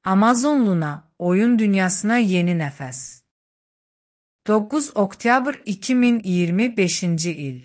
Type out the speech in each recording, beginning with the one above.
Amazon Luna, oyun dünyasına yeni nefes. 9 Oktyabr 2025 il.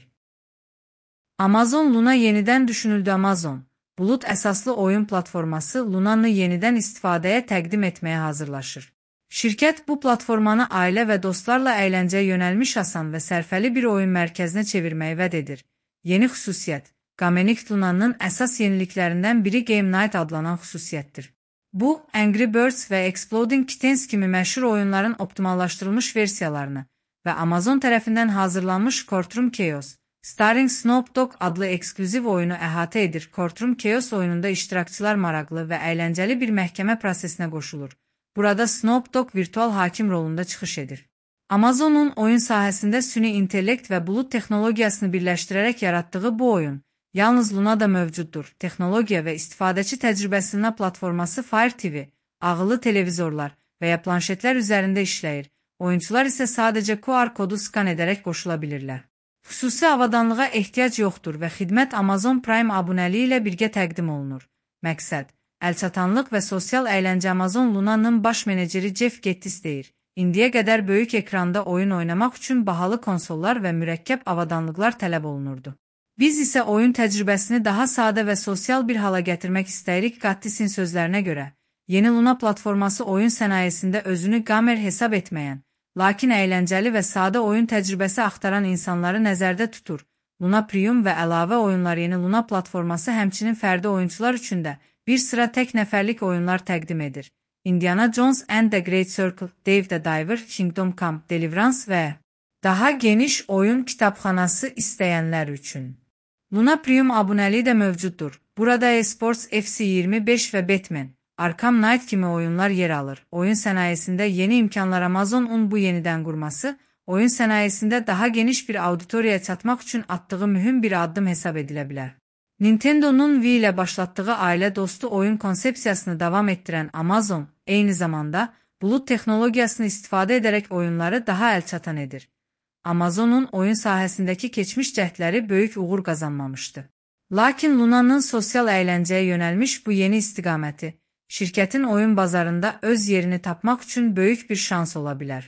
Amazon Luna yeniden düşünüldü. Amazon, bulut əsaslı oyun platforması Luna'nı yeniden istifadəyə təqdim etməyə hazırlaşır. Şirkət bu platformanı ailə və dostlarla əyləncəyə yönəlmiş asan və sərfəli bir oyun mərkəzinə çevirməyi vəd edir. Yeni xüsusiyyət, Gamenict Luna'nın əsas yeniliklərindən biri Game Night adlanan xüsusiyyətdir. Bu, Angry Birds və Exploding Kittens kimi məşhur oyunların optimallaşdırılmış versiyalarını və Amazon tərəfindən hazırlanmış Courtroom Chaos, Starring Snoop Dogg adlı eksklüziv oyunu əhatə edir. Courtroom Chaos oyununda iştirakçılar maraqlı və əyləncəli bir məhkəmə prosesinə qoşulur. Burada Snoop Dogg virtual hakim rolunda çıxış edir. Amazon'un oyun sahəsində süni intellekt və bulut texnologiyasını birləşdirərək yaratdığı bu oyun, yalnız Luna'da mövcuddur. Texnologiya və istifadəçi təcrübəsinin platforması Fire TV, ağıllı televizorlar və ya planşetlər üzərində işləyir. Oyunçular isə sadəcə QR kodu skan edərək qoşula bilirlər. Xüsusi avadanlığa ehtiyac yoxdur və xidmət Amazon Prime abunəliyi ilə birgə təqdim olunur. Məqsəd, əlçatanlıq və sosial əyləncə. Amazon Luna'nın baş meneceri Jeff Gettis deyir. İndiyə qədər böyük ekranda oyun oynamaq üçün bahalı konsollar və mürəkkəb avadanlıqlar tələb olunurdu. Biz isə oyun təcrübəsini daha sadə və sosial bir hala gətirmək istəyirik. Gattis'in sözlərinə görə, yeni Luna platforması oyun sənayesində özünü gamer hesab etməyən, lakin əyləncəli və sadə oyun təcrübəsi axtaran insanları nəzərdə tutur. Luna Premium və əlavə oyunlar. Yeni Luna platforması həmçinin fərdi oyunçular üçün də bir sıra tək nəfərlik oyunlar təqdim edir. Indiana Jones and the Great Circle, Dave the Diver, Kingdom Come, Deliverance və daha geniş oyun kitabxanası istəyənlər üçün. Luna Premium abunəliyi də mövcuddur. Burada eSports FC25 və Batman, Arkham Knight kimi oyunlar yer alır. Oyun sənayesində yeni imkanlar. Amazon'un bu yenidən qurması, oyun sənayesində daha geniş bir auditoriyaya çatmaq üçün atdığı mühüm bir addım hesab edilə bilər. Nintendo'nun Wii ilə başlatdığı ailə dostu oyun konsepsiyasını davam etdirən Amazon, eyni zamanda bulut texnologiyasını istifadə edərək oyunları daha əlçatan edir. Amazon'un oyun sahəsindəki keçmiş cəhdləri böyük uğur qazanmamışdı. Lakin Luna'nın sosial əyləncəyə yönəlmiş bu yeni istiqaməti, şirkətin oyun bazarında öz yerini tapmaq üçün böyük bir şans ola bilər.